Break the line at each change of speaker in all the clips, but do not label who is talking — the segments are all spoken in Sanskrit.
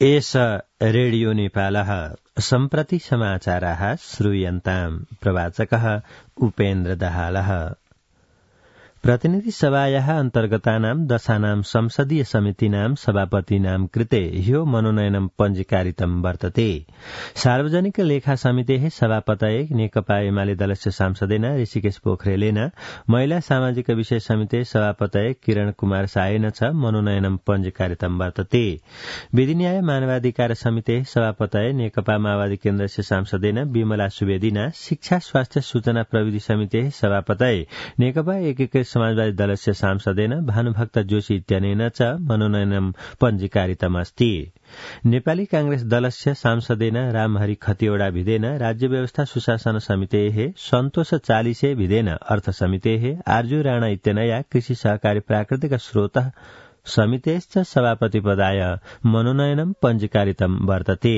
एष रेडियो नेपालः सम्प्रति समाचाराः श्रूयन्ताम्। प्रवाचकः उपेन्द्र दाहालः। प्रतिनिधि सभायाः अन्तर्गतानां दशानां संसदीय समितिनां सभापतीनां कृते ह्यो मनोनयनं पञ्जीकारितं वर्तते। सार्वजनिक लेखा समितेः सभापतये नेकपा एमाले दलस्य सांसदेन ऋषिकेश पोखरेलेन महिला सामाजिक विषय समिते सभापतये किरण कुमार सायेन च मनोनयनं पञ्जीकारितं वर्तते। विधि न्याय मानवाधिकार समितेः सभापतये नेकपा माओवादी केन्द्रस्य सांसदेन विमला सुवेदीना शिक्षा स्वास्थ्य सूचना प्रविधि समितेः सभापतये नेकपा एकीकृत समाजवादी दलस्य सांसदेन भानुभक्त जोशी इत्यनेन च मनोनयनं पञ्जीकारितमस्ति। नेपाली कांग्रेस दलस्य सांसदेन रामहरि खतिवड़ा भिदेन राज्य व्यवस्था सुशासन समितेः सन्तोष चालिसे भिदेन अर्थ समितेः आर्जु राणा इत्यनया कृषि सहकारी प्राकृतिक स्रोत समितेश्च सभापति पदाय मनोनयनं पञ्जीकारितं वर्तते।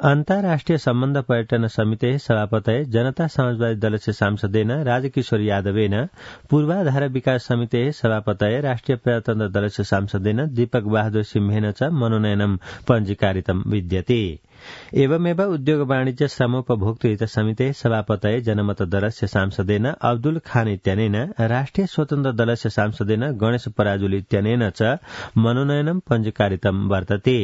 अन्ताराष्ट्रिय सम्बन्ध पर्यटन समितेः सभापतये जनता समाजवादी दलस्य सांसदेन राजकिशोर यादवेन पूर्वाधार विकास समितेः सभापतये राष्ट्रिय प्रजातन्त्र दलस्य सांसदेन दीपक बहादुर सिंहेन च मनोनयनं पञ्जीकारितं विद्यते। एवमेव उद्योग वाणिज्य श्रमोपभोक्तृ हित समितेः सभापतये जनमत दलस्य सांसदेन अब्दुल खान इत्यनेन राष्ट्रिय स्वतन्त्र दलस्य सांसदेन गणेश पराजुली इत्यनेन च मनोनयनं पञ्जीकारितं वर्तते।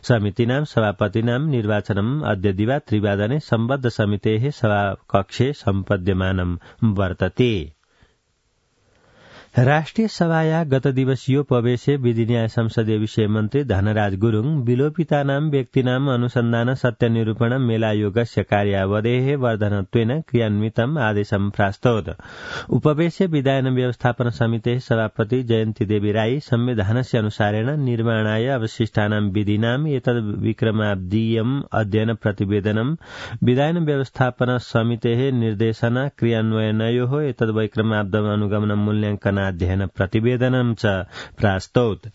समितीनां सभापतीनां निर्वाचनम् अद्य दिवा 3 सम्बद्ध समितेः सभाकक्षे सम्पद्यमानं वर्तते। राष्ट्रिय सभाया गत दिवसीयोपवेशे विधि न्याय संसदीय विषय मन्त्री धनराज गुरुङ विलोपितानां व्यक्तिनां अनुसन्धान सत्यनिरूपण मेलायोगस्य कार्यावधेः वर्धनत्वेन क्रियान्वितम् आदेशं प्रास्तौत। उपवेशे विधायन व्यवस्थापन समितेः सभापति जयन्ती देवी राई संविधानस्य अनुसारेण निर्माणाय अवशिष्टानां विधिनाम् एतद् विक्रमाब्दीयम् अध्ययन प्रतिवेदनं विधायन व्यवस्थापन समितेः निर्देशन क्रियान्वयनयोः एतद् विक्रमाब्दम् अनुगमनं मूल्याङ्कन अध्ययन प्रतिवेदनं च प्रास्तौत।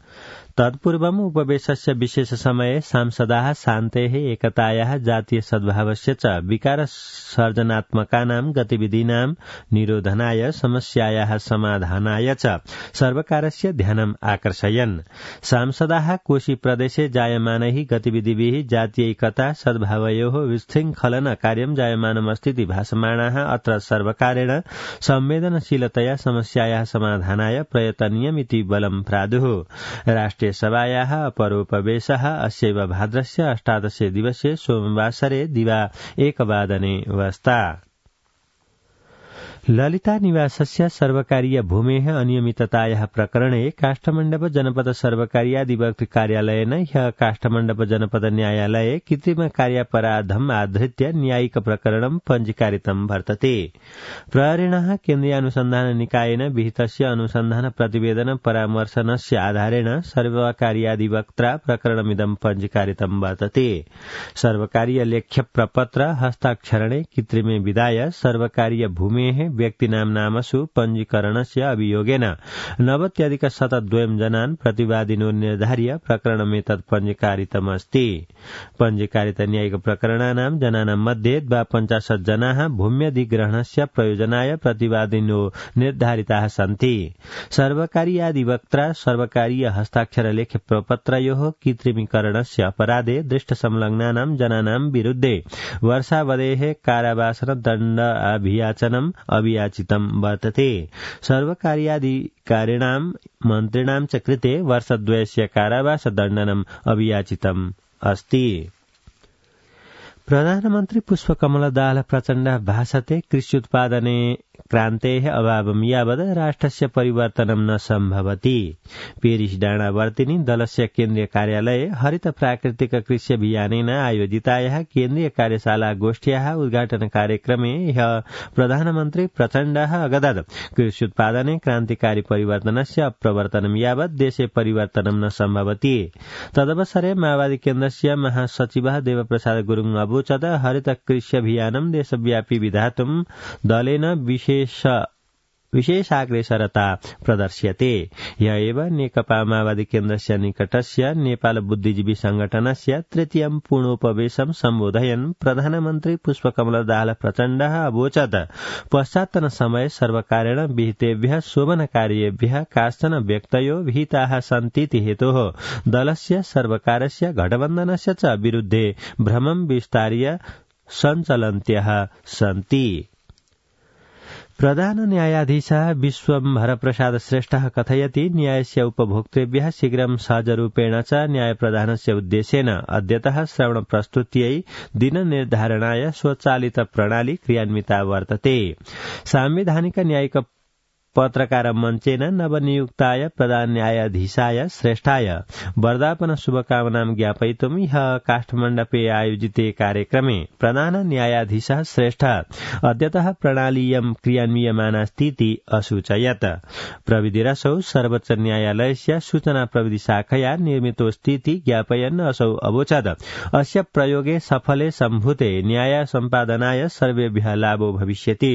तत्पूर्वम् उपवेशस्य विशेष समये सांसदाः शान्तेः एकतायाः जातीय सद्भावस्य च विकार सर्जनात्मकानां गतिविधीनां निरोधनाय समस्यायाः समाधानाय च सर्वकारस्य ध्यानम् आकर्षयन्। सांसदाः कोशी प्रदेशे जायमानैः गतिविधिभिः जातीय एकता सद्भावयोः विशृङ्खलन कार्यं जायमानमस्तीति भासमाणाः अत्र सर्वकारेण संवेदनशीलतया समस्यायाः समाधानाय प्रयतनीयमिति बलं प्रादुः। राष्ट्रिय सभायाः अपरोपवेशः अस्यैव भाद्रस्य 18 दिवसे सोमवासरे दिवा 1 वादने वस्ता। ललिता निवासस्य सर्वकारीय भूमेः अनियमिततायाः प्रकरणे काष्ठमण्डप जनपद सर्वकारीयाधिवक्तृ कार्यालयेन ह्यः काष्ठमण्डप जनपद न्यायालये कृत्रिम कार्यापराधम् आधृत्य न्यायिक प्रकरणं पञ्जीकारितं वर्तते। प्रहरिणः केन्द्रीय अनुसन्धान निकायेन विहितस्य अनुसन्धान प्रतिवेदन परामर्शनस्य आधारेण सर्वकारीयाधिवक्त्रा प्रकरणमिदं पञ्जीकारितं वर्तते। सर्वकारीय लेख्य प्रपत्र हस्ताक्षरणे कृत्रिमे विधाय सर्वकारीय भूमेः व्यक्तिनां नामसु पञ्जीकरणस्य अभियोगेन 90+2 जनान् प्रतिवादिनो निर्धार्य प्रकरणमेतत् पञ्जीकारितमस्ति। पञ्जीकारित न्यायिक प्रकरणानां जनानां मध्ये 52 जनाः भूम्यधिग्रहणस्य प्रयोजनाय प्रतिवादिनो निर्धारिताः सन्ति। सर्वकारीयाधिवक्त्रा सर्वकारीय हस्ताक्षर लेख्य प्रपत्रयोः कृत्रिमीकरणस्य अपराधे दृष्टसंलग्नानां जनानां विरुद्धे वर्षावधेः कारावासदण्ड अभियाचनम् अभियाचितं वर्तते। सर्वकारीयाधिकारिणां मन्त्रिणां च कृते वर्षद्वयस्य कारावासदण्डनम् अभियाचितम् अस्ति। प्रधानमन्त्री पुष्पकमल दाहाल प्रचण्डः भाषते कृष्युत्पादने क्रान्तेः अभावं यावत् राष्ट्रस्य परिवर्तनं न सम्भवति। पेरिस डाँडावर्तिनी दलस्य केन्द्रीय कार्यालये हरित प्राकृतिक कृषि अभियानेन आयोजितायाः केन्द्रीय कार्यशाला गोष्ठ्याः उद्घाटन कार्यक्रमे ह्यः प्रधानमन्त्री प्रचण्डः अगदत् कृष्युत्पादने क्रान्तिकारी परिवर्तनस्य अप्रवर्तनं यावत् देशे परिवर्तनं न सम्भवति। तदवसरे माओवादी केन्द्रस्य महासचिवः देवप्रसाद गुरुङ अवोचत् हरित कृषि अभियानं देशव्यापी विधातुं दलेन विशेष विशेषाग्रेसरता प्रदर्श्यते। य एव नेकपा माओवादी केन्द्रस्य निकटस्य नेपाल बुद्धिजीवी संगठनस्य तृतीयं पूर्णोपवेशं सम्बोधयन् प्रधानमन्त्री पुष्पकमल दाहाल प्रचण्डः अवोचत् पश्चात्तन समये सर्वकारेण विहितेभ्यः शोभनकार्येभ्यः काश्चन व्यक्तयो विहिताः सन्तीति हेतोः दलस्य सर्वकारस्य गठबन्धनस्य च विरुद्धे भ्रमं विस्तार्य सञ्चलन्त्यः सन्ति। प्रधान न्यायाधीशः विश्वम्भरप्रसाद श्रेष्ठः कथयति न्यायस्य उपभोक्तृभ्यः शीघ्रं सहजरूपेण च न्यायप्रदानस्य उद्देश्येन अद्यतः श्रवणप्रस्तुत्यै दिननिर्धारणाय स्वचालित प्रणाली क्रियान्विता वर्तते। सांविधानिक न्यायिक पत्रकार मञ्चेन नवनियुक्ताय प्रधान न्यायाधीशाय श्रेष्ठाय वर्धापन शुभकामनां ज्ञापयितुं ह्यः काष्ठमण्डपे आयोजिते कार्यक्रमे प्रधान न्यायाधीशः श्रेष्ठः अद्यतः प्रणालीयं क्रियान्वियमानास्तीति असूचयत्। प्रविधिरसौ सर्वोच्च न्यायालयस्य सूचना प्रविधि शाखया निर्मितोऽस्तीति ज्ञापयन् असौ अवोचत् अस्य प्रयोगे सफले सम्भूते न्याय सम्पादनाय सर्वेभ्यः लाभो भविष्यति।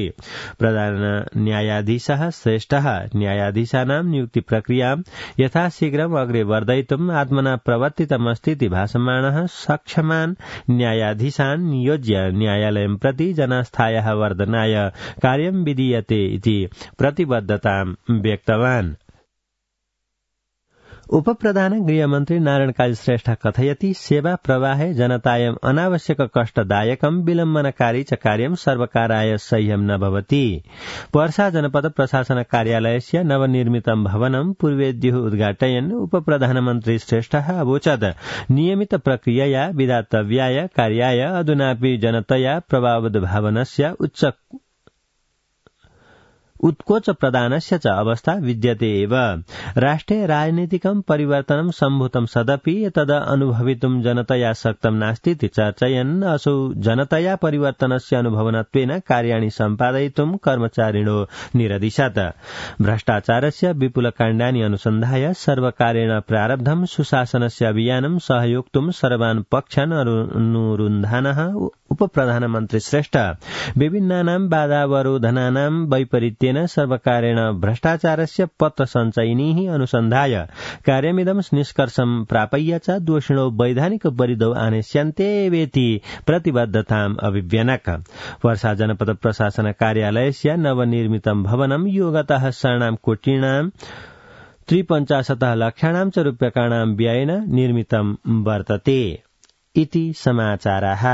प्रधान न्यायाधीशः श्रेष्ठः न्यायाधीशानां नियुक्ति प्रक्रियां यथाशीघ्रम् अग्रे वर्धयितुम् आत्मना प्रवर्तितमस्तीति भासमानः सक्षमान् न्यायाधीशान् नियोज्य न्यायालयं प्रति जनास्थायाः वर्धनाय कार्यं विधीयते इति प्रतिबद्धतां व्यक्तवान्। उपप्रधान गृहमन्त्री नारायण काजी श्रेष्ठ कथयति सेवा प्रवाहे जनतायम् अनावश्यक कष्टदायकं विलम्बनकारी च कार्यं सर्वकाराय सह्यं न भवति। पर्सा जनपद प्रशासन कार्यालयस्य नवनिर्मितं भवनं पूर्वेद्युः उद्घाटयन् उपप्रधानमन्त्री श्रेष्ठः अवोचत् नियमित प्रक्रियया विधातव्याय कार्याय अधुनापि जनतया प्रभावद भवनस्य उत्कोच प्रदानस्य च अवस्था विद्यते एव। राष्ट्रे राजनीतिकं परिवर्तनं सम्भूतं सदपि तद अनुभवितुं जनतया शक्तं नास्तीति चर्चयन् असौ जनतया परिवर्तनस्य अनुभवनत्वेन कार्याणि सम्पादयितुं कर्मचारिणो निरदिशत्। भ्रष्टाचारस्य विपुलकाण्डानि अनुसन्धाय सर्वकारेण प्रारब्धं सुशासनस्य अभियानं सहयोक्तुं सर्वान् पक्षान् अनुरुन्धानः उपप्रधानमन्त्री श्रेष्ठ विभिन्नानां बाधावरोधनानां वैपरीत्येन सर्वकारेण भ्रष्टाचारस्य पत्र सञ्चयिनीः अनुसन्धाय कार्यमिदं निष्कर्षं प्रापय्य च दोषिणो वैधानिक परिधौ आनेष्यन्ते वेति प्रतिबद्धताम् अभिव्यनक। वर्षा जनपद प्रशासन कार्यालयस्य नवनिर्मितं भवनं योगतः शरणां कोटिणां 53 लक्षाणां च रूप्यकाणां व्ययेन निर्मितं वर्तते इति समाचाराः।